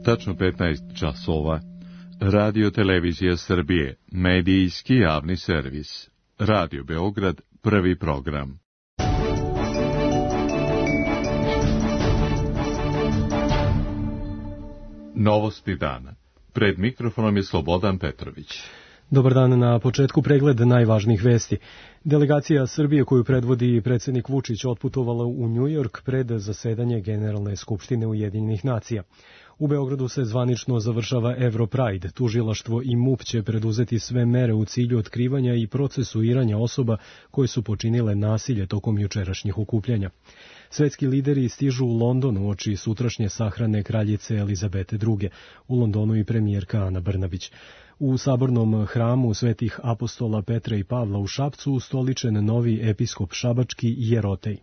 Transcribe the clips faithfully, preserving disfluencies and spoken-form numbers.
Tačno petnaest časova. Radio Televizija Srbije, medijski javni servis. Radio Beograd, prvi program. Novosti dana. Pred mikrofonom je Slobodan Petrović. Dobar dan, na početku pregled najvažnijih vesti. Delegacija Srbije koju predvodi predsjednik Vučić otputovala u Njujork pred zasedanje Generalne skupštine Ujedinjenih nacija. U Beogradu se zvanično završava Europride. Tužilaštvo i MUP će preduzeti sve mere u cilju otkrivanja i procesuiranja osoba koje su počinile nasilje tokom jučerašnjih okupljanja. Svetski lideri stižu u London uoči sutrašnje sahrane kraljice Elizabete druge. U Londonu i premijerka Ana Brnabić. U sabornom hramu svetih apostola Petra i Pavla u Šapcu ustoličen novi episkop šabački Jerotej.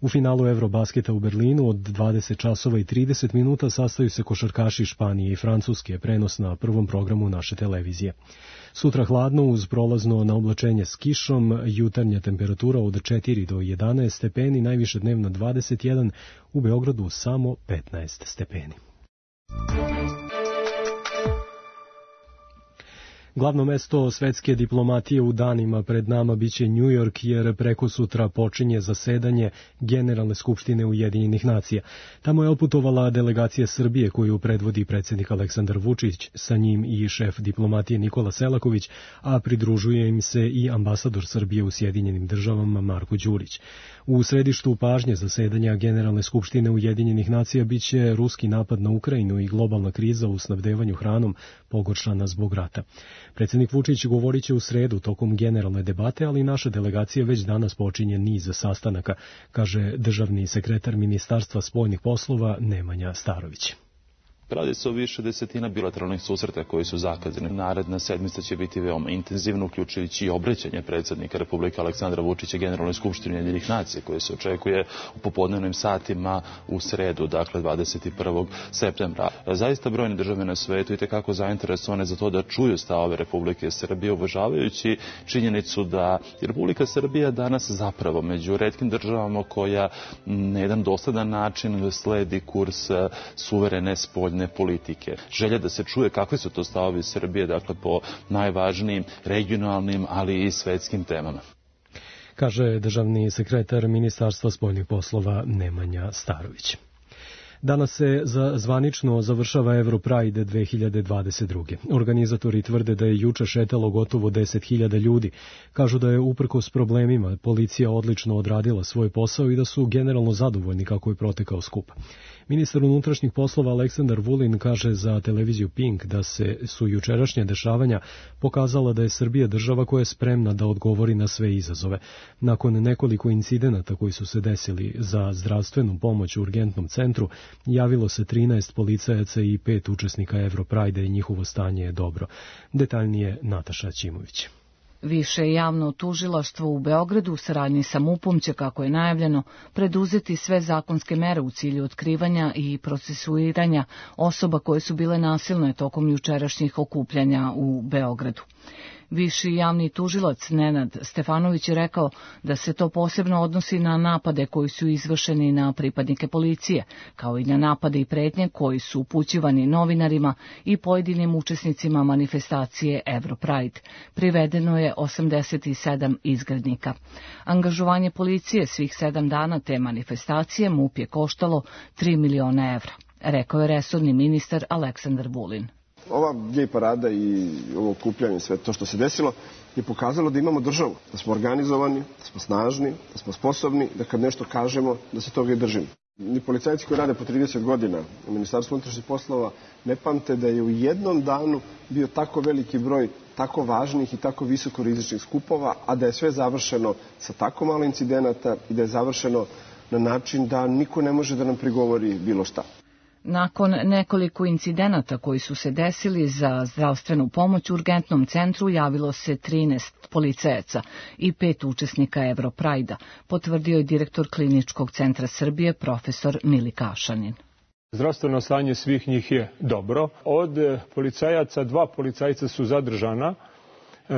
U finalu Eurobasketa u Berlinu od dvadeset časova i trideset minuta sastaju se košarkaši Španije i Francuske, prenos na prvom programu naše televizije. Sutra hladno uz prolazno na oblačenje s kišom, jutarnja temperatura od četiri do jedanaest stepeni, najviše dnevno dvadeset jedan, u Beogradu samo petnaest stepeni. Glavno mesto svetske diplomatije u danima pred nama biće Njujork, jer preko sutra počinje zasedanje Generalne skupštine Ujedinjenih nacija. Tamo je otputovala delegacija Srbije koju predvodi predsjednik Aleksandar Vučić, sa njim i šef diplomatije Nikola Selaković, a pridružuje im se i ambasador Srbije u Sjedinjenim državama Marko Đurić. U središtu pažnje zasedanja Generalne skupštine Ujedinjenih nacija biće ruski napad na Ukrajinu i globalna kriza u snabdevanju hranom pogoršana zbog rata. Predsjednik Vučić govorit će u sredu tokom generalne debate, ali naša delegacija već danas počinje niz sastanaka, kaže državni sekretar Ministarstva spoljnih poslova Nemanja Starović. Radi se o više desetina bilateralnih susreta koji su zakazani. Naredna sedmica će biti veoma intenzivna, uključujući i obraćanje predsjednika Republike Aleksandra Vučića Generalnoj skupštini Ujedinjenih nacija, koje se očekuje u popodnevnim satima u sredu, dakle dvadeset prvog septembra. Zaista brojne države na svetu i tekako zainteresovane za to da čuju stavove Republike Srbije, uvažavajući činjenicu da Republika Srbija danas zapravo među retkim državama koja na jedan dosledan način sledi kurs suverene spoljne politike. Želja da se čuje kakve su to stavovi Srbije, dakle po najvažnijim regionalnim, ali i svetskim temama. Kaže državni sekretar Ministarstva spoljnih poslova Nemanja Starović. Danas se za zvanično završava Europride dve hiljade dvadeset druge. Organizatori tvrde da je juče šetalo gotovo deset hiljada ljudi. Kažu da je uprkos problemima policija odlično odradila svoj posao i da su generalno zadovoljni kako je protekao skup. Ministar unutrašnjih poslova Aleksandar Vulin kaže za televiziju Pink da se su jučerašnje dešavanja pokazala da je Srbija država koja je spremna da odgovori na sve izazove. Nakon nekoliko incidenata koji su se desili za zdravstvenu pomoć u urgentnom centru, javilo se trinaest policajaca i pet učesnika Europride i njihovo stanje je dobro. Detaljnije Nataša Ćimović. Više javno tužilaštvo u Beogradu u saradnji sa MUP-om će, kako je najavljeno, preduzeti sve zakonske mere u cilju otkrivanja i procesuiranja osoba koje su bile nasilne tokom jučerašnjih okupljanja u Beogradu. Viši javni tužilac Nenad Stefanović je rekao da se to posebno odnosi na napade koji su izvršeni na pripadnike policije, kao i na napade i pretnje koji su upućivani novinarima i pojedinim učesnicima manifestacije Europride. Privedeno je osamdeset sedam izgrednika. Angažovanje policije svih sedam dana te manifestacije MUP je koštalo tri miliona evra, rekao je resorni ministar Aleksandar Vulin. Ova gej parada i ovo okupljanje, sve to što se desilo, je pokazalo da imamo državu, da smo organizovani, da smo snažni, da smo sposobni, da kad nešto kažemo, da se toga i držimo. Ni policajci koji rade po trideset godina u Ministarstvu unutrašnjih poslova ne pamte da je u jednom danu bio tako veliki broj tako važnih i tako visoko rizičnih skupova, a da je sve završeno sa tako malo incidenata i da je završeno na način da niko ne može da nam prigovori bilo šta. Nakon nekoliko incidenata koji su se desili za zdravstvenu pomoć u urgentnom centru javilo se trinaest policajaca i pet učesnika Europride-a, potvrdio je direktor Kliničkog centra Srbije profesor Mili Kašanin. Zdravstveno stanje svih njih je dobro. Od policajaca dva policajca su zadržana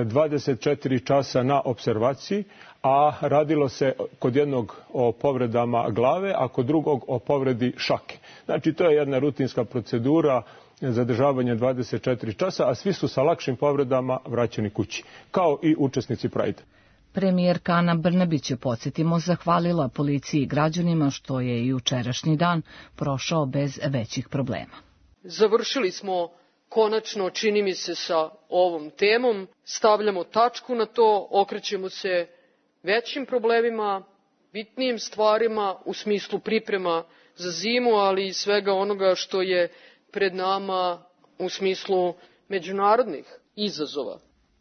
dvadeset četiri časa na observaciji, a radilo se kod jednog o povredama glave, a kod drugog o povredi šake. Znači, to je jedna rutinska procedura zadržavanja dvadeset četiri časa, a svi su sa lakšim povredama vraćeni kući, kao i učesnici Prajda. Premijerka Ana Brnabić je, podsjetimo, zahvalila policiji i građanima što je i jučerašnji dan prošao bez većih problema. Završili smo konačno, čini mi se, sa ovom temom, stavljamo tačku na to, okrećemo se većim problemima, bitnijim stvarima u smislu priprema za zimu, ali i svega onoga što je pred nama u smislu međunarodnih izazova.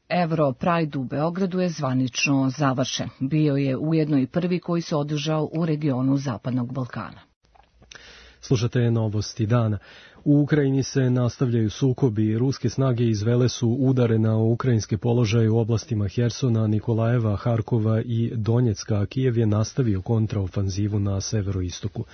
Euro Pride u Beogradu je zvanično završen. Bio je ujedno i prvi koji se održao u regionu Zapadnog Balkana. Slušate novosti dana. U Ukrajini se nastavljaju sukobi. Ruske snage izvele su udare na ukrajinske položaje u oblastima Hersona, Nikolajeva, Harkova i Donjecka, a Kijev je nastavio kontraofanzivu na severoistoku.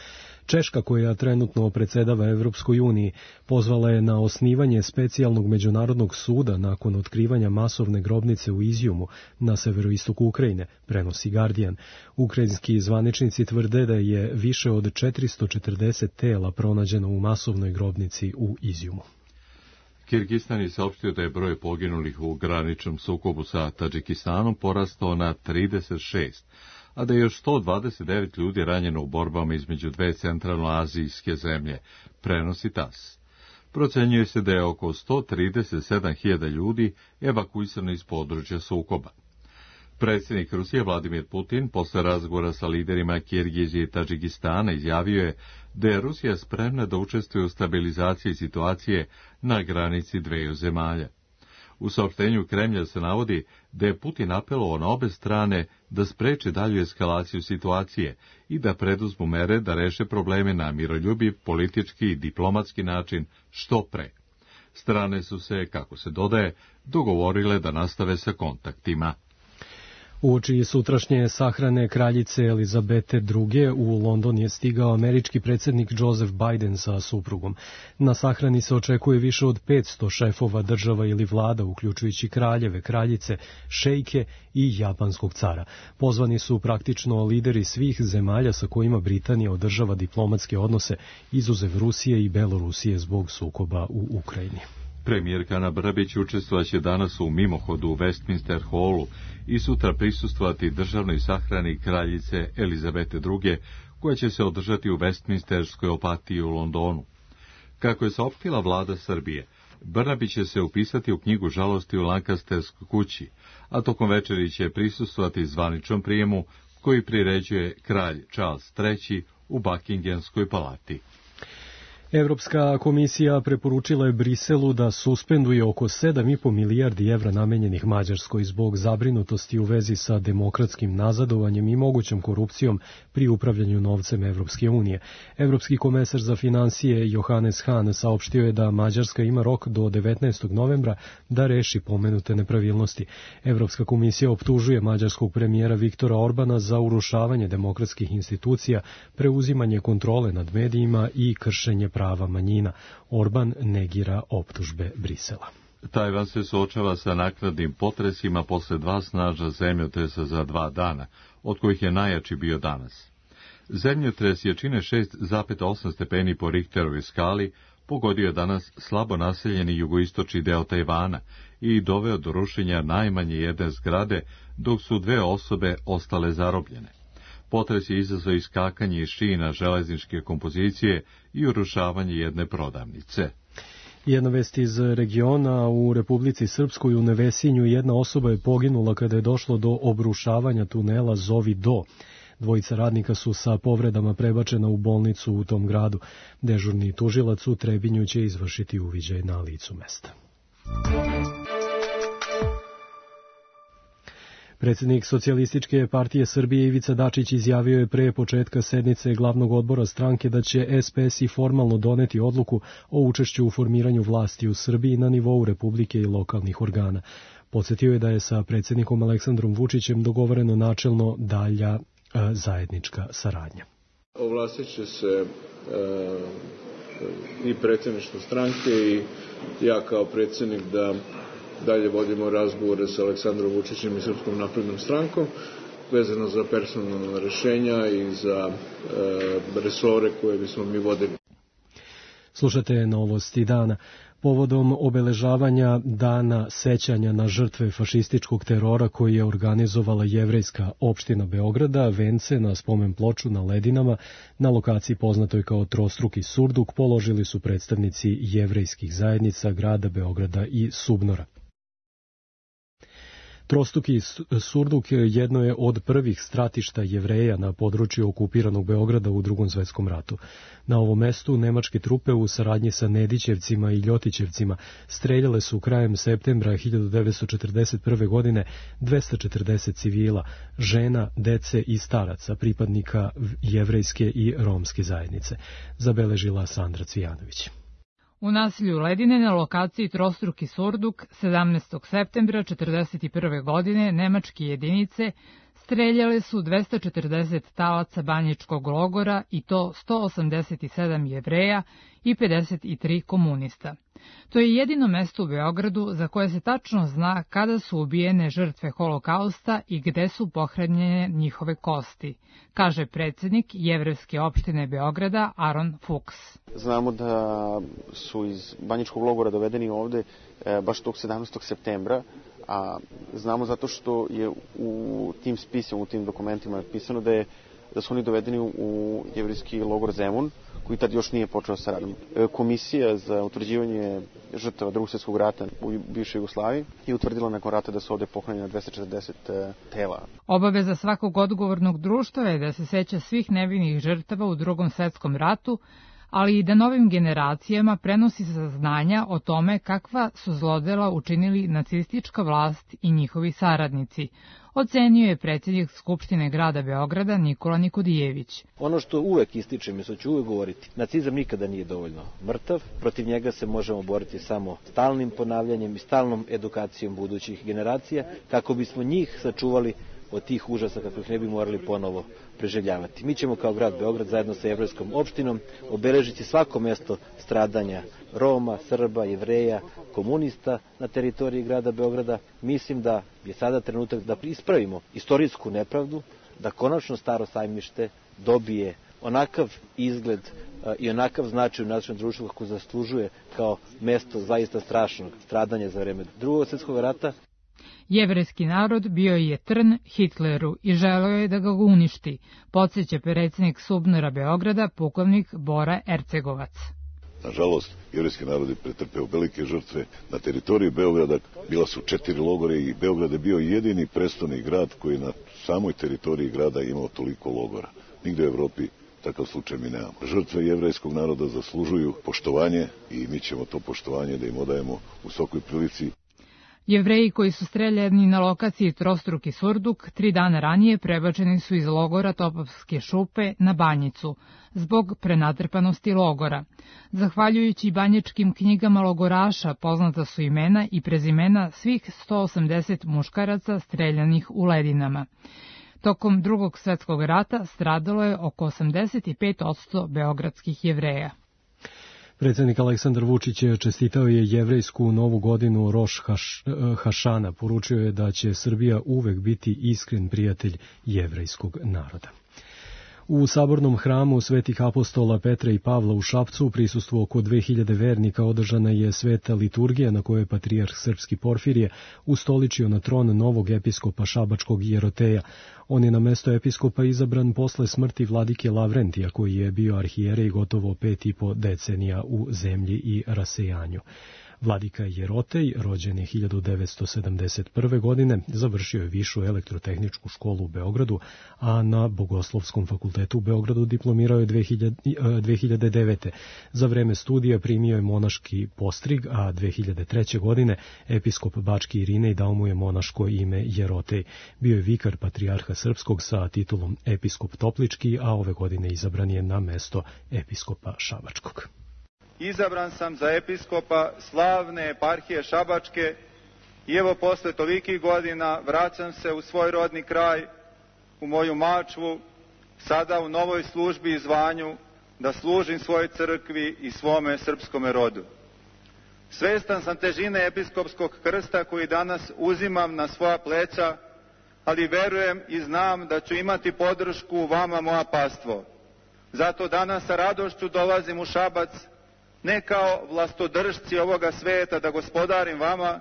Češka, koja trenutno predsedava Evropskoj uniji, pozvala je na osnivanje specijalnog međunarodnog suda nakon otkrivanja masovne grobnice u Izjumu na severoistoku Ukrajine, prenosi Guardian. Ukrajinski zvaničnici tvrde da je više od četiristo četrdeset tela pronađeno u masovnoj grobnici u Izjumu. Kirgistan je saopštio da je broj poginulih u graničnom sukobu sa Tadžikistanom porastao na trideset šest, a da je još sto dvadeset devet ljudi ranjeno u borbama između dve centralnoazijske zemlje, prenosi tas. Procenjuje se da je oko sto trideset sedam hiljada ljudi evakuisano iz područja sukoba. Predsjednik Rusije Vladimir Putin posle razgovora sa liderima Kirgizije i Tadžikistana izjavio je da je Rusija spremna da učestvuje u stabilizaciji situacije na granici dveju zemalja. U saopštenju Kremlja se navodi da je Putin apelovao na obe strane da spreče dalju eskalaciju situacije i da preduzmu mere da reše probleme na miroljubiv, politički i diplomatski način što pre. Strane su se, kako se dodaje, dogovorile da nastave sa kontaktima. Uoči sutrašnje sahrane kraljice Elizabete druge. u London je stigao američki predsjednik Joseph Biden sa suprugom. Na sahrani se očekuje više od petsto šefova država ili vlada, uključujući kraljeve, kraljice, šejke i japanskog cara. Pozvani su praktično lideri svih zemalja sa kojima Britanija održava diplomatske odnose, izuzev Rusije i Belorusije zbog sukoba u Ukrajini. Premijerka Ana Brnabić učestvovaće danas u mimohodu u Westminster Hallu i sutra prisustvovati državnoj sahrani kraljice Elizabete druge. koja će se održati u Westminsterskoj opatiji u Londonu. Kako je saopštila vlada Srbije, Brnabić će se upisati u knjigu žalosti u Lancasterskoj kući, a tokom večeri će prisustvovati zvaničnom prijemu koji priređuje kralj Charles treći u Buckinghamskoj palati. Evropska komisija preporučila je Briselu da suspenduje oko sedam i po milijardi evra namenjenih Mađarskoj zbog zabrinutosti u vezi sa demokratskim nazadovanjem i mogućom korupcijom pri upravljanju novcem Evropske unije. Evropski komesar za finansije Johannes Hahn saopštio je da Mađarska ima rok do devetnaestog novembra da reši pomenute nepravilnosti. Evropska komisija optužuje mađarskog premijera Viktora Orbana za urušavanje demokratskih institucija, preuzimanje kontrole nad medijima i kršenje prava manjina. Orban negira optužbe Brisela. Tajvan se suočava sa naknadnim potresima posle dva snažna zemljotresa za dva dana, od kojih je najjači bio danas. Zemljotres jačine šest zarez osam stepeni po Richterovoj skali pogodio je danas slabo naseljeni jugoistočni deo Tajvana i doveo do rušenja najmanje jedne zgrade, dok su dve osobe ostale zarobljene. Potres je izazvao iskakanje iz šina železničke kompozicije i urušavanje jedne prodavnice. Jedna vest iz regiona: u Republici Srpskoj u Nevesinju jedna osoba je poginula kada je došlo do obrušavanja tunela Zovi Do. Dvojica radnika su sa povredama prebačena u bolnicu u tom gradu. Dežurni tužilac u Trebinju će izvršiti uviđaj na licu mesta. Predsjednik Socijalističke partije Srbije Ivica Dačić izjavio je pre početka sednice glavnog odbora stranke da će es pe es i formalno doneti odluku o učešću u formiranju vlasti u Srbiji na nivou Republike i lokalnih organa. Podsjetio je da je sa predsjednikom Aleksandrom Vučićem dogovoreno načelno dalja e, zajednička saradnja. Ovlastit će se e, i predsjedništvo stranke i ja kao predsjednik da dalje vodimo razgovore sa Aleksandrom Vučićem i Srpskom naprednom strankom vezano za personalna rešenja i za e, resore koje bismo mi vodili. Slušate Novosti dana. Povodom obeležavanja dana sećanja na žrtve fašističkog terora koji je organizovala jevrejska opština Beograda, vence na spomen ploču na Ledinama, na lokaciji poznatoj kao Trostruki surduk, položili su predstavnici jevrejskih zajednica grada Beograda i Subnora. Trostruki surduk jedno je od prvih stratišta Jevreja na području okupiranog Beograda u Drugom svetskom ratu. Na ovom mestu nemačke trupe u saradnji sa Nedićevcima i Ljotićevcima streljale su krajem septembra hiljadu devetsto četrdeset prve. godine dvesta četrdeset civila, žena, dece i staraca, pripadnika jevrejske i romske zajednice, zabeležila Sandra Cvijanović. U naselju Ledine na lokaciji Trostruki surduk sedamnaestog septembra četrdeset prve. godine nemačke jedinice streljale su dvesta četrdeset talaca banjičkog logora i to sto osamdeset sedam Jevreja i pedeset tri komunista. To je jedino mesto u Beogradu za koje se tačno zna kada su ubijene žrtve holokausta i gde su pohranjene njihove kosti, kaže predsjednik jevrejske opštine Beograda Aron Fuchs. Znamo da su iz banjičkog logora dovedeni ovde e, baš tog sedamnaestog septembra, a znamo zato što je u tim spisima, u tim dokumentima pisano da je da su oni dovedeni u jevrejski logor Zemun, koji tad još nije počeo sa radom. Komisija za utvrđivanje žrtava Drugog svjetskog rata u bivšoj Jugoslaviji je utvrdila nakon rata da su ovde pohranjena dvesta četrdeset tela. Obaveza svakog odgovornog društva je da se seća svih nevinih žrtava u Drugom svetskom ratu, ali i da novim generacijama prenosi saznanja o tome kakva su zlodela učinili nacistička vlast i njihovi saradnici, ocenio je predsjednik Skupštine grada Beograda Nikola Nikodijević. Ono što uvek ističem i što ću uvek govoriti, nacizam nikada nije dovoljno mrtav, protiv njega se možemo boriti samo stalnim ponavljanjem i stalnom edukacijom budućih generacija, kako bismo njih sačuvali od tih užasa kako ih ne bi morali ponovo preživljavati. Mi ćemo kao grad Beograd zajedno sa jevrejskom opštinom obeležiti svako mesto stradanja Roma, Srba, Jevreja, komunista na teritoriji grada Beograda. Mislim da je sada trenutak da ispravimo istorijsku nepravdu, da konačno Staro sajmište dobije onakav izgled i onakav značaj u našem društvu kako zaslužuje kao mesto zaista strašnog stradanja za vreme Drugog svjetskog rata. Jevrejski narod bio je trn Hitleru i želeo je da ga uništi, podsjeća predsjednik Subnora Beograda, pukovnik Bora Ercegovac. Nažalost, jevrejski narod je pretrpeo velike žrtve na teritoriji Beograda. Bila su četiri logore i Beograd je bio jedini prestoni grad koji na samoj teritoriji grada imao toliko logora. Nigde u Evropi takav slučaj mi nemamo. Žrtve jevrejskog naroda zaslužuju poštovanje i mi ćemo to poštovanje da im odajemo u svakoj prilici. Jevreji koji su streljani na lokaciji Trostruki surduk tri dana ranije prebačeni su iz logora Topovske šupe na Banjicu, zbog prenatrpanosti logora. Zahvaljujući banjičkim knjigama logoraša poznata su imena i prezimena svih sto osamdeset muškaraca streljanih u Ledinama. Tokom Drugog svjetskog rata stradalo je oko osamdeset pet posto beogradskih Jevreja. Predsjednik Aleksandar Vučić čestitao je jevrejsku novu godinu Roš Haš, Hašana. Poručio je da će Srbija uvek biti iskren prijatelj jevrejskog naroda. U sabornom hramu svetih apostola Petra i Pavla u Šapcu u prisustvu oko dve hiljade vernika održana je sveta liturgija na kojoj je patrijarh srpski Porfirije ustoličio na tron novog episkopa šabačkog Jeroteja. On je na mesto episkopa izabran posle smrti vladike Lavrentija, koji je bio arhijerej gotovo pet i po decenija u zemlji i rasejanju. Vladika Jerotej, rođen je hiljadu devetsto sedamdeset prve. godine, završio je višu elektrotehničku školu u Beogradu, a na Bogoslovskom fakultetu u Beogradu diplomirao je dve hiljade devete. Za vreme studija primio je monaški postrig, a dve hiljade treće. godine episkop Bački Irinej dao mu je monaško ime Jerotej. Bio je vikar patrijarha srpskog sa titulom episkop Toplički, a ove godine izabran je na mesto episkopa šabačkog. Izabran sam za episkopa slavne eparhije Šabačke i evo posle tolikih godina vraćam se u svoj rodni kraj, u moju Mačvu, sada u novoj službi i zvanju da služim svojoj crkvi i svome srpskome rodu. Svestan sam težine episkopskog krsta koji danas uzimam na svoja pleća, ali verujem i znam da ću imati podršku vama, moja pastvo. Zato danas sa radošću dolazim u Šabac, ne kao vlastodržci ovoga sveta da gospodarim vama,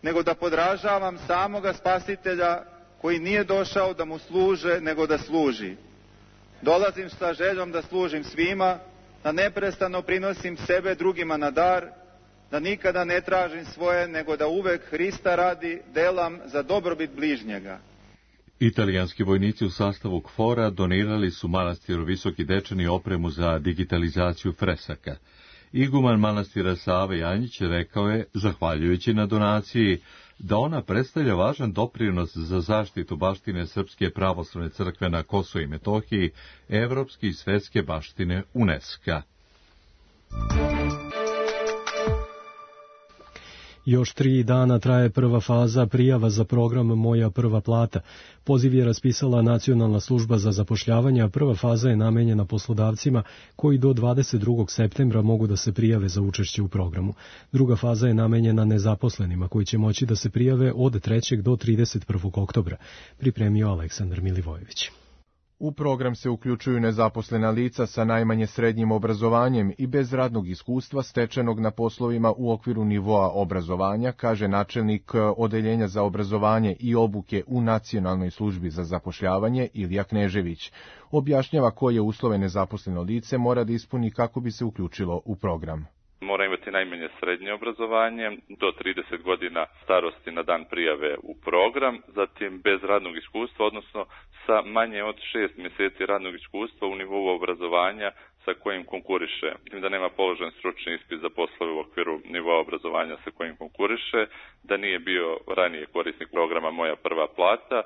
nego da podražavam samoga Spasitelja koji nije došao da mu služe, nego da služi. Dolazim sa željom da služim svima, da neprestano prinosim sebe drugima na dar, da nikada ne tražim svoje, nego da uvek Hrista radi delam za dobrobit bližnjega. Italijanski vojnici u sastavu KFOR-a donirali su manastiru Visoki Dečani opremu za digitalizaciju fresaka. Iguman manastira Save Janjić rekao je, zahvaljujući na donaciji, da ona predstavlja važan doprinos za zaštitu baštine Srpske pravoslavne crkve na Kosovu i Metohiji, evropske i svetske baštine UNESCO. Još tri dana traje prva faza prijava za program Moja prva plata. Poziv je raspisala Nacionalna služba za zapošljavanje, a prva faza je namenjena poslodavcima koji do dvadeset drugog septembra mogu da se prijave za učešće u programu. Druga faza je namenjena nezaposlenima koji će moći da se prijave od trećeg do trideset prvog oktobra, pripremio Aleksandar Milivojević. U program se uključuju nezaposlena lica sa najmanje srednjim obrazovanjem i bez radnog iskustva stečenog na poslovima u okviru nivoa obrazovanja, kaže načelnik Odeljenja za obrazovanje i obuke u Nacionalnoj službi za zapošljavanje Ilija Knežević. Objašnjava koje uslove nezaposleno lice mora da ispuni kako bi se uključilo u program. Mora imati najmanje srednje obrazovanje, do trideset godina starosti na dan prijave u program, zatim bez radnog iskustva, odnosno sa manje od šest mjeseci radnog iskustva u nivou obrazovanja sa kojim konkuriše. Da nema položen stručni ispit za poslove u okviru nivoa obrazovanja sa kojim konkuriše, da nije bio ranije korisnik programa Moja prva plata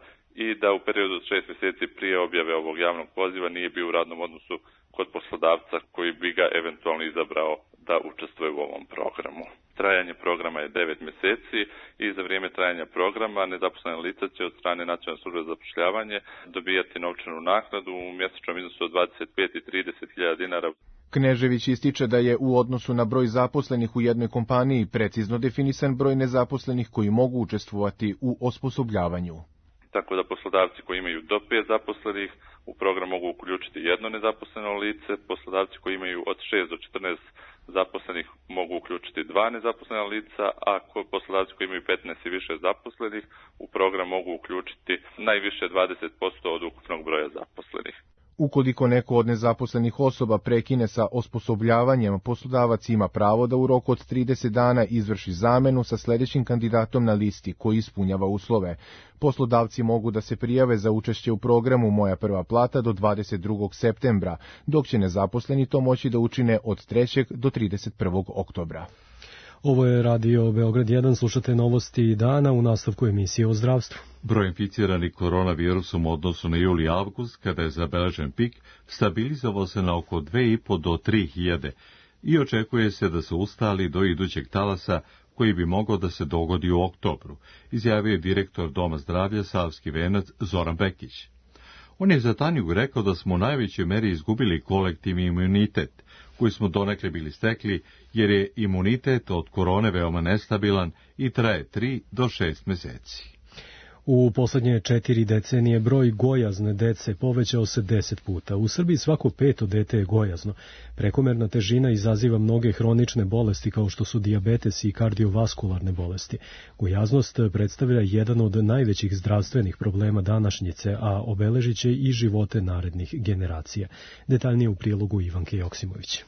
i da u periodu od šest mjeseci prije objave ovog javnog poziva nije bio u radnom odnosu kod poslodavca koji bi ga eventualno izabrao da učestvuje u ovom programu. Trajanje programa je devet mjeseci i za vrijeme trajanja programa nezaposlena lica će od strane Nacionalne službe za zapošljavanje dobijati novčanu naknadu u mjesečnom iznosu od dvadeset pet i trideset hiljada dinara. Knežević ističe da je u odnosu na broj zaposlenih u jednoj kompaniji precizno definisan broj nezaposlenih koji mogu učestvovati u osposobljavanju. Tako da poslodavci koji imaju do pet zaposlenih u program mogu uključiti jedno nezaposleno lice, poslodavci koji imaju od šest do četrnaest zaposlenih mogu uključiti dva nezaposlena lica, a poslodavci koji imaju petnaest i više zaposlenih u program mogu uključiti najviše dvadeset posto od ukupnog broja zaposlenih. Ukoliko neko od nezaposlenih osoba prekine sa osposobljavanjem, poslodavac ima pravo da u roku od trideset dana izvrši zamenu sa sljedećim kandidatom na listi koji ispunjava uslove. Poslodavci mogu da se prijave za učešće u programu Moja prva plata do dvadeset drugog septembra, dok će nezaposleni to moći da učine od trećeg do trideset prvog oktobra. Ovo je Radio Beograd jedan, slušate novosti dana u nastavku emisije o zdravstvu. Broj inficiranih koronavirusom u odnosu na juli i avgust, kada je zabeležen pik, stabilizovao se na oko dve i po do tri hiljade i očekuje se da se ustali do idućeg talasa koji bi mogao da se dogodi u oktobru, izjavio je direktor Doma zdravlja Savski venac Zoran Bekić. On je za Tanjugu rekao da smo u najvećoj meri izgubili kolektivni imunitet, koji smo donekle bili stekli, jer je imunitet od korone veoma nestabilan i traje tri do šest meseci. U poslednje četiri decenije broj gojazne dece povećao se deset puta. U Srbiji svako peto dete je gojazno. Prekomerna težina izaziva mnoge hronične bolesti kao što su dijabetes i kardiovaskularne bolesti. Gojaznost predstavlja jedan od najvećih zdravstvenih problema današnjice, a obeležit će i živote narednih generacija. Detaljnije u prilogu Ivanke Joksimović.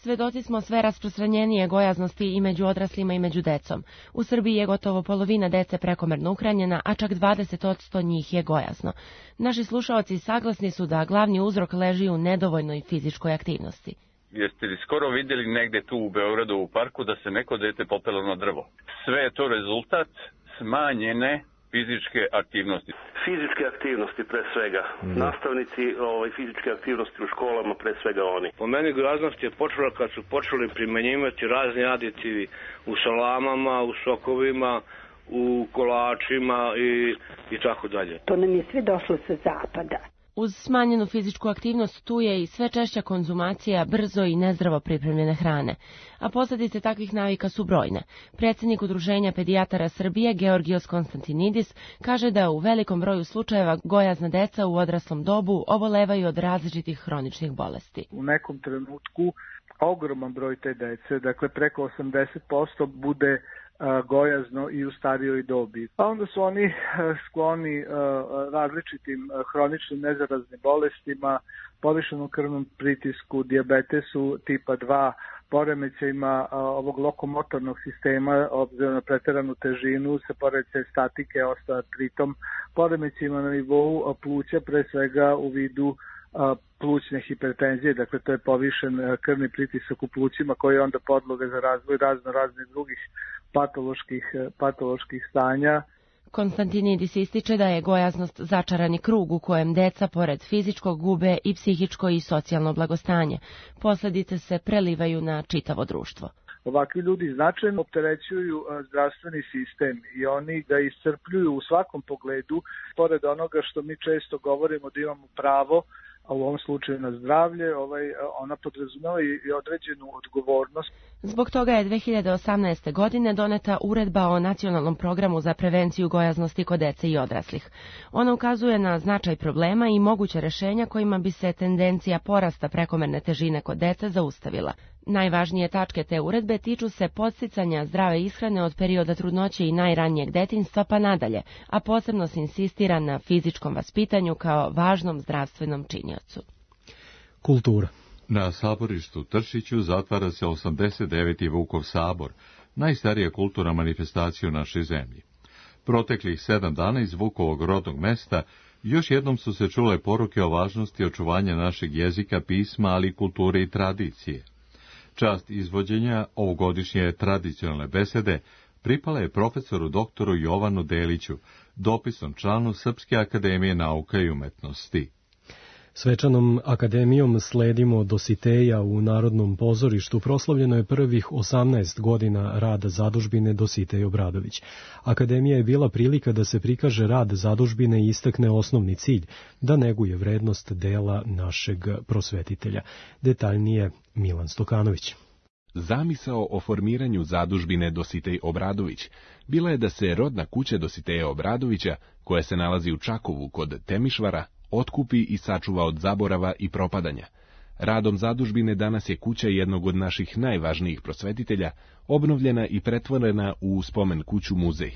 Svedoci smo sve rasprostranjenije gojaznosti i među odraslima i među decom. U Srbiji je gotovo polovina dece prekomerno uhranjena, a čak dvadeset posto njih je gojazno. Naši slušaoci saglasni su da glavni uzrok leži u nedovoljnoj fizičkoj aktivnosti. Jeste li skoro vidjeli negde tu u Beogradu u parku da se neko dete popelo na drvo? Sve je to rezultat smanjene fizičke aktivnosti. Fizičke aktivnosti pre svega. Mm. Nastavnici ovaj, fizičke aktivnosti u školama pre svega oni. Po meni gojaznost je počela kad su počeli primenjivati razni aditivi u salamama, u sokovima, u kolačima i, i tako dalje. To nam je sve došlo sa zapada. Uz smanjenu fizičku aktivnost tu je i sve češća konzumacija brzo i nezdravo pripremljene hrane, a posljedice takvih navika su brojne. Predsjednik Udruženja pedijatara Srbije Georgios Konstantinidis kaže da u velikom broju slučajeva gojazna deca u odraslom dobu obolevaju od različitih hroničnih bolesti. U nekom trenutku ogroman broj te dece, dakle preko osamdeset posto bude gojazno i u starijoj dobi. A onda su oni skloni različitim hroničnim nezaraznim bolestima, povišenom krvnom pritisku, dijabetesu tipa dva, poremećajima ovog lokomotornog sistema, obzirom na preteranu težinu, se poremećaj statike, osteoartritom, poremećajima na nivou pluća, pre svega u vidu plućne hipertenzije, dakle to je povišen krvni pritisak u plućima koji je onda podloga za razvoj razno raznih drugih patoloških, patoloških stanja. Konstantinidis ističe da je gojaznost začarani krug u kojem deca pored fizičkog gube i psihičko i socijalno blagostanje. Posljedice se prelivaju na čitavo društvo. Ovakvi ljudi značajno opterećuju zdravstveni sistem i oni ga iscrpljuju u svakom pogledu, pored onoga što mi često govorimo da imamo pravo, a u ovom slučaju na zdravlje, ovaj, ona podrazumeva i određenu odgovornost. Zbog toga je dve hiljade osamnaeste. godine doneta uredba o nacionalnom programu za prevenciju gojaznosti kod dece i odraslih. Ona ukazuje na značaj problema i moguće rješenja kojima bi se tendencija porasta prekomerne težine kod dece zaustavila. Najvažnije tačke te uredbe tiču se podsticanja zdrave ishrane od perioda trudnoće i najranijeg detinjstva pa nadalje, a posebno se insistira na fizičkom vaspitanju kao važnom zdravstvenom činiocu. Kultura. Na saborištu Tršiću zatvara se osamdeset deveti. Vukov sabor, najstarija kulturna manifestacija u našoj zemlji. Proteklih sedam dana iz Vukovog rodnog mesta još jednom su se čule poruke o važnosti očuvanja našeg jezika, pisma, ali i kulture i tradicije. Čast izvođenja ovogodišnje tradicionalne besede pripala je profesoru doktoru Jovanu Deliću, dopisnom članu Srpske akademije nauka i umetnosti. Svečanom akademijom sledimo Dositeja u Narodnom pozorištu. Proslavljeno je prvih osamnaest godina rada zadužbine Dositej Obradović. Akademija je bila prilika da se prikaže rad zadužbine i istakne osnovni cilj, da neguje vrednost dela našeg prosvetitelja. Detaljnije Milan Stokanović. Zamisao o formiranju zadužbine Dositej Obradović bila je da se rodna kuća Dositeja Obradovića, koja se nalazi u Čakovu kod Temišvara, otkupi i sačuva od zaborava i propadanja. Radom zadužbine danas je kuća jednog od naših najvažnijih prosvetitelja obnovljena i pretvorena u spomen kuću muzej.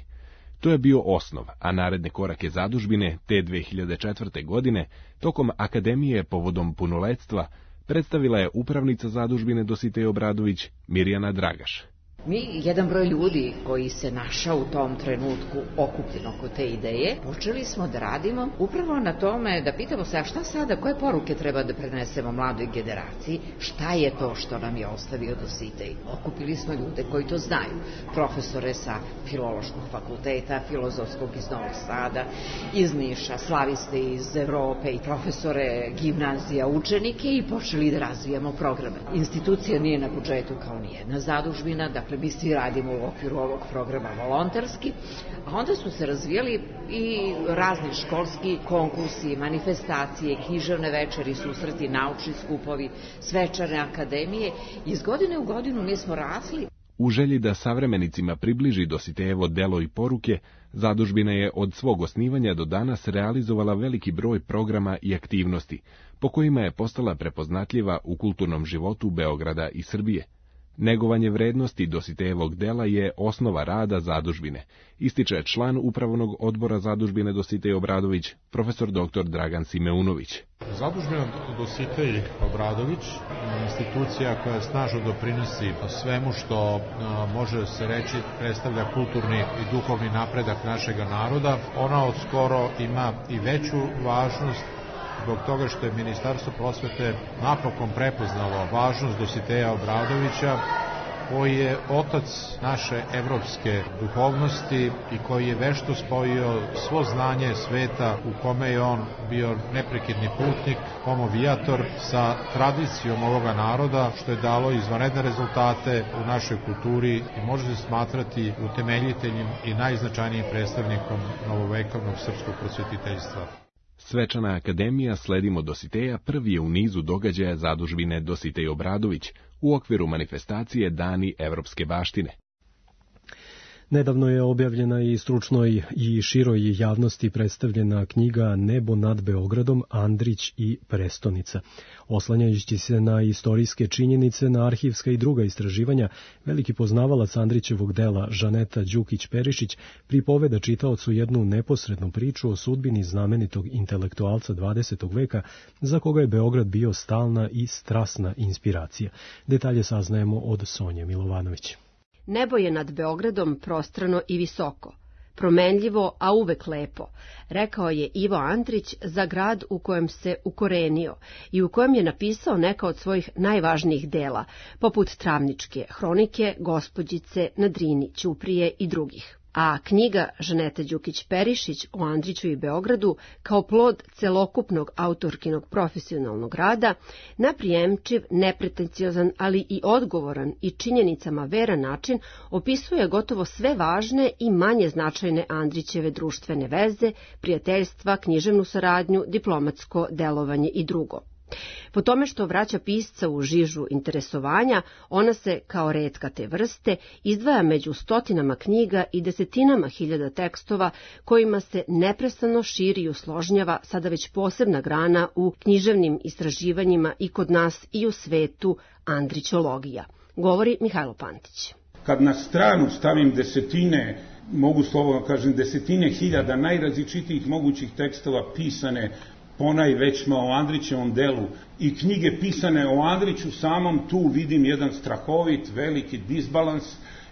To je bio osnov, a naredne korake zadužbine te dve hiljade četvrte. godine tokom akademije povodom punoletstva predstavila je upravnica zadužbine Dositej Obradović Mirjana Dragaš. Mi, jedan broj ljudi koji se našao u tom trenutku okupljen oko te ideje, počeli smo da radimo upravo na tome da pitamo se, a šta sada, koje poruke treba da prenesemo mladoj generaciji, šta je to što nam je ostavio Dositej. Okupili smo ljude koji to znaju, profesore sa Filološkog fakulteta, Filozofskog iz Novog Sada, iz Niša, slaviste iz Evrope i profesore gimnazija, učenike i počeli da razvijamo programe. Institucija nije na budžetu kao nijedna zadužbina, dakle mi svi radimo u okviru ovog programa volonterski, a onda su se razvijali i razni školski konkursi, manifestacije, književne večeri, susreti, naučni skupovi, svečane akademije. Iz godine u godinu mi smo rasli. U želji da savremenicima približi Dositejevo delo i poruke, zadužbina je od svog osnivanja do danas realizovala veliki broj programa i aktivnosti, po kojima je postala prepoznatljiva u kulturnom životu Beograda i Srbije. Negovanje vrednosti Dositejevog dela je osnova rada zadužbine, ističe član upravnog odbora zadužbine Dositej Obradović, profesor doktor Dragan Simeunović. Zadužbina Dositej Obradović je institucija koja snažno doprinosi svemu što može se reći predstavlja kulturni i duhovni napredak našega naroda. Ona od skoro ima i veću važnost zbog toga što je Ministarstvo prosvete napokon prepoznalo važnost Dositeja Obradovića, koji je otac naše evropske duhovnosti i koji je vešto spojio svo znanje sveta u kome je on bio neprekidni putnik, homovijator sa tradicijom ovoga naroda, što je dalo izvanredne rezultate u našoj kulturi i može se smatrati utemeljiteljem i najznačajnijim predstavnikom novovekovnog srpskog prosvetiteljstva. Svečana akademija Sledimo Dositeja prvi je u nizu događaja zadužbine Dositej Obradović u okviru manifestacije Dani evropske baštine. Nedavno je objavljena i stručnoj i široj javnosti predstavljena knjiga Nebo nad Beogradom, Andrić i prestonica. Oslanjajući se na istorijske činjenice, na arhivska i druga istraživanja, veliki poznavalac Andrićevog dela Žaneta Đukić-Perišić pripoveda čitaocu jednu neposrednu priču o sudbini znamenitog intelektualca dvadesetog veka, za koga je Beograd bio stalna i strasna inspiracija. Detalje saznajemo od Sonje Milovanović. Nebo je nad Beogradom prostrano i visoko, promenljivo, a uvek lepo, rekao je Ivo Andrić za grad u kojem se ukorenio i u kojem je napisao neka od svojih najvažnijih dela, poput Travničke hronike, Gospođice na Drini, Ćuprije i drugih. A knjiga Žanete Đukić-Perišić o Andriću i Beogradu, kao plod celokupnog autorkinog profesionalnog rada, na prijemčiv, nepretenciozan, ali i odgovoran i činjenicama veran način opisuje gotovo sve važne i manje značajne Andrićeve društvene veze, prijateljstva, književnu saradnju, diplomatsko delovanje i drugo. Po tome što vraća pisca u žižu interesovanja, ona se, kao retka te vrste, izdvaja među stotinama knjiga i desetinama hiljada tekstova kojima se neprestano širi i usložnjava sada već posebna grana u književnim istraživanjima i kod nas i u svetu andrićologija, govori Mihajlo Pantić. Kad na stranu stavim desetine, mogu slobodno kažem desetine hiljada najrazličitijih mogućih tekstova pisane ponajvećma o Andrićevom delu i knjige pisane o Andriću samom, tu vidim jedan strahovit, veliki disbalans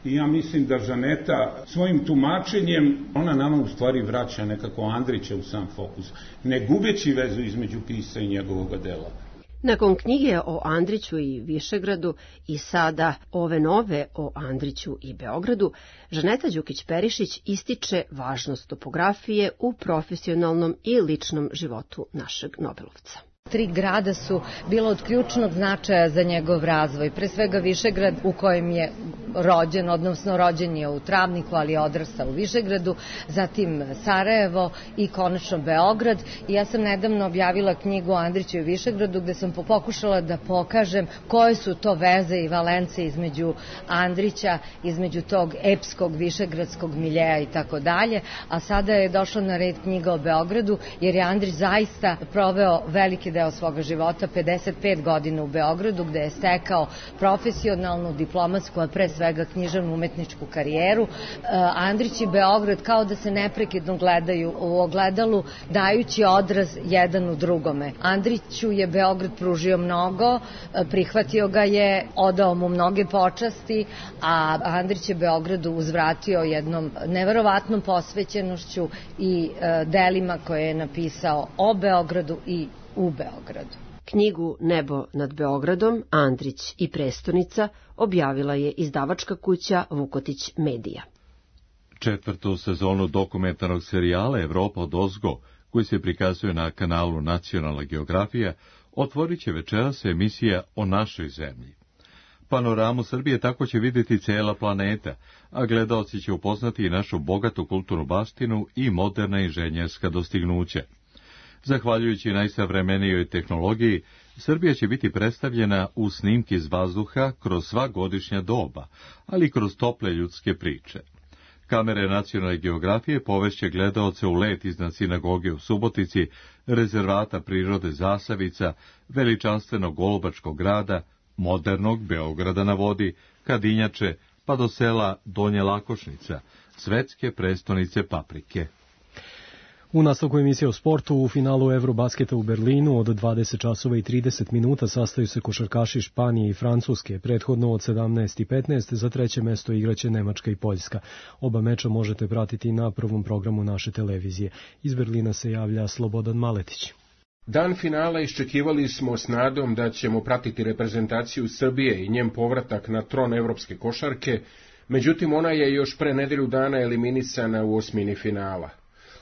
i ja mislim da Žaneta svojim tumačenjem, ona nama u stvari vraća nekako Andrića u sam fokus, ne gubeći vezu između pisa i njegovog dela. Nakon knjige o Andriću i Višegradu i sada ove nove o Andriću i Beogradu, Žaneta Đukić-Perišić ističe važnost topografije u profesionalnom i ličnom životu našeg Nobelovca. Tri grada su bila od ključnog značaja za njegov razvoj. Pre svega Višegrad u kojem je rođen, odnosno rođen je u Travniku, ali je odrastao u Višegradu, zatim Sarajevo i konačno Beograd. I ja sam nedavno objavila knjigu o Andriću i Višegradu gde sam pokušala da pokažem koje su to veze i valence između Andrića, između tog epskog višegradskog miljeja i tako dalje. A sada je došla na red knjiga o Beogradu jer je Andrić zaista proveo veliki deo svoga života, pedeset pet godina u Beogradu, gde je stekao profesionalnu, diplomatsku, a pre svega književnu umetničku karijeru. Andrić i Beograd kao da se neprekidno gledaju u ogledalu, dajući odraz jedan u drugome. Andriću je Beograd pružio mnogo, prihvatio ga je, odao mu mnoge počasti, a Andrić je Beogradu uzvratio jednom neverovatnom posvećenošću i delima koje je napisao o Beogradu i u Beogradu. Knjigu Nebo nad Beogradom, Andrić i prestonica objavila je izdavačka kuća Vukotić Medija. Četvrtu sezonu dokumentarnog serijala Evropa odozgo, koji se prikazuje na kanalu Nacionalna geografija, otvorit će večeras emisija o našoj zemlji. Panoramu Srbije tako će vidjeti cela planeta, a gledaoci će upoznati i našu bogatu kulturnu baštinu i moderna inženjerska dostignuća. Zahvaljujući najsavremenijoj tehnologiji, Srbija će biti predstavljena u snimki iz vazduha kroz sva godišnja doba, ali i kroz tople ljudske priče. Kamere Nacionalne geografije povešće gledaoce u let iznad sinagoge u Subotici, rezervata prirode Zasavica, veličanstvenog Golubačkog grada, modernog Beograda na vodi, Kadinjače, pa do sela Donje Lakošnica, svetske prestonice paprike. U nastavku emisije o sportu, u finalu Eurobasketa u Berlinu od dvadeset časova i trideset minuta sastaju se košarkaši Španije i Francuske. Prethodno od sedamnaest i petnaest za treće mesto igraće Nemačka i Poljska. Oba meča možete pratiti na prvom programu naše televizije. Iz Berlina se javlja Slobodan Maletić. Dan finala iščekivali smo s nadom da ćemo pratiti reprezentaciju Srbije i njen povratak na tron evropske košarke, međutim ona je još pre nedelju dana eliminisana u osmini finala.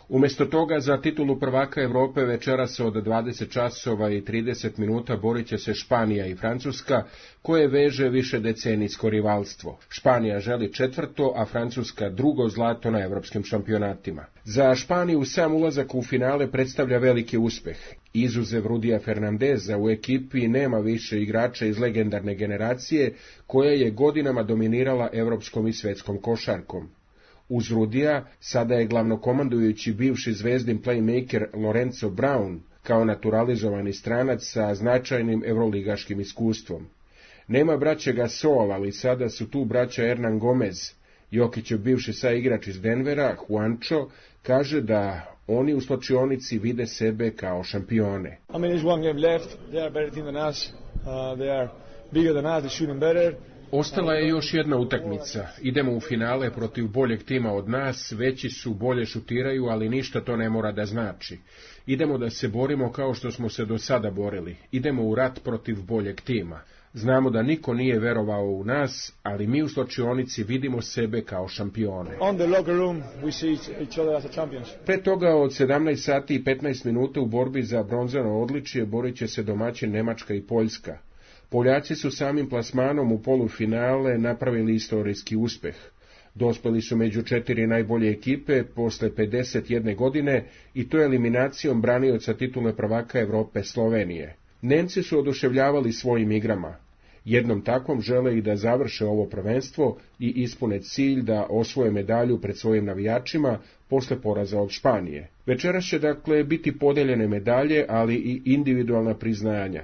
Umesto toga za titulu prvaka Evrope večeras od dvadeset časova i trideset minuta borit će se Španija i Francuska, koje veže više decenijsko rivalstvo. Španija želi četvrto, a Francuska drugo zlato na evropskim šampionatima. Za Španiju sam ulazak u finale predstavlja veliki uspeh. Izuzev Rudija Fernandeza u ekipi nema više igrača iz legendarne generacije koja je godinama dominirala evropskom i svetskom košarkom. Uz Rudija sada je glavnokomandujući bivši zvezdin playmaker Lorenzo Brown kao naturalizovani stranac sa značajnim evroligaškim iskustvom. Nema braće Gasol, ali sada su tu braća Hernan Gomez. Jokićev bivši saigrač iz Denvera, Juancho, kaže da oni u slačionici vide sebe kao šampione. I mean, there's one game left. They are a better team than us. Uh, they are bigger than us. They shooting better. Ostala je još jedna utakmica. Idemo u finale protiv boljeg tima od nas, veći su, bolje šutiraju, ali ništa to ne mora da znači. Idemo da se borimo kao što smo se do sada borili. Idemo u rat protiv boljeg tima. Znamo da niko nije verovao u nas, ali mi u slačionici vidimo sebe kao šampione. On the locker room we see each other as a champions. Pre toga od sedamnaest sati i petnaest minuta u borbi za bronzano odličje borit će se domaćin Nemačka i Poljska. Poljaci su samim plasmanom u polufinale napravili istorijski uspeh. Dospeli su među četiri najbolje ekipe posle pedeset jedne godine i to eliminacijom branioca titule prvaka Evrope Slovenije. Nemci su oduševljavali svojim igrama. Jednom takvom žele i da završe ovo prvenstvo i ispune cilj da osvoje medalju pred svojim navijačima posle poraza od Španije. Večeras će dakle biti podeljene medalje, ali i individualna priznanja.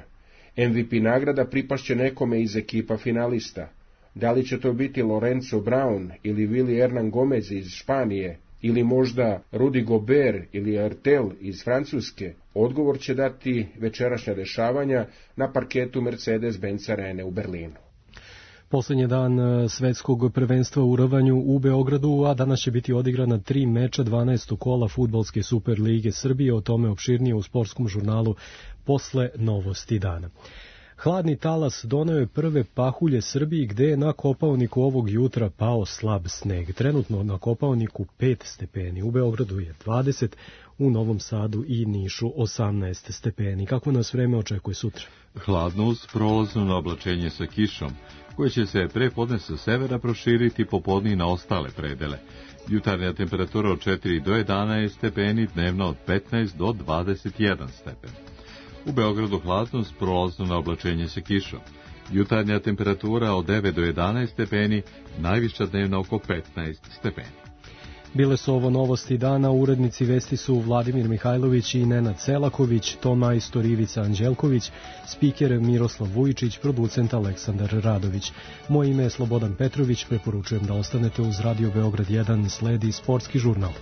M V P nagrada pripašće nekome iz ekipa finalista. Da li će to biti Lorenzo Brown ili Willy Hernan Gomez iz Španije, ili možda Rudy Gobert ili Ertel iz Francuske, odgovor će dati večerašnja dešavanja na parketu Mercedes-Benz Arene u Berlinu. Poslednji dan svetskog prvenstva u rvanju u Beogradu, a danas će biti odigrana tri meča dvanaestog kola Fudbalske Super lige Srbije, o tome opširnije u sportskom žurnalu posle novosti dana. Hladni talas doneo je prve pahulje Srbiji, gde je na Kopaoniku ovog jutra pao slab sneg. Trenutno na Kopaoniku pet stepeni, u Beogradu je dvadeset, u Novom Sadu i Nišu osamnaest stepeni. Kako nas vreme očekuje sutra? Hladno uz prolazno oblačenje sa kišom, koje će se pre podne sa severa proširiti popodne na ostale predele. Jutarnja temperatura od četiri do jedanaest stepeni, dnevno od petnaest do dvadeset jedan stepen. U Beogradu hladno s prolazno na oblačenje sa kišom. Jutarnja temperatura od devet do jedanaest stepeni, najviša dnevna oko petnaest stepeni. Bile su ovo novosti dana, urednici vesti su Vladimir Mihajlović i Nenad Selaković, ton majstor Ivica Anđelković, spiker Miroslav Vujičić, producent Aleksandar Radović. Moje ime je Slobodan Petrović, preporučujem da ostanete uz Radio Beograd jedan, sledi sportski žurnal.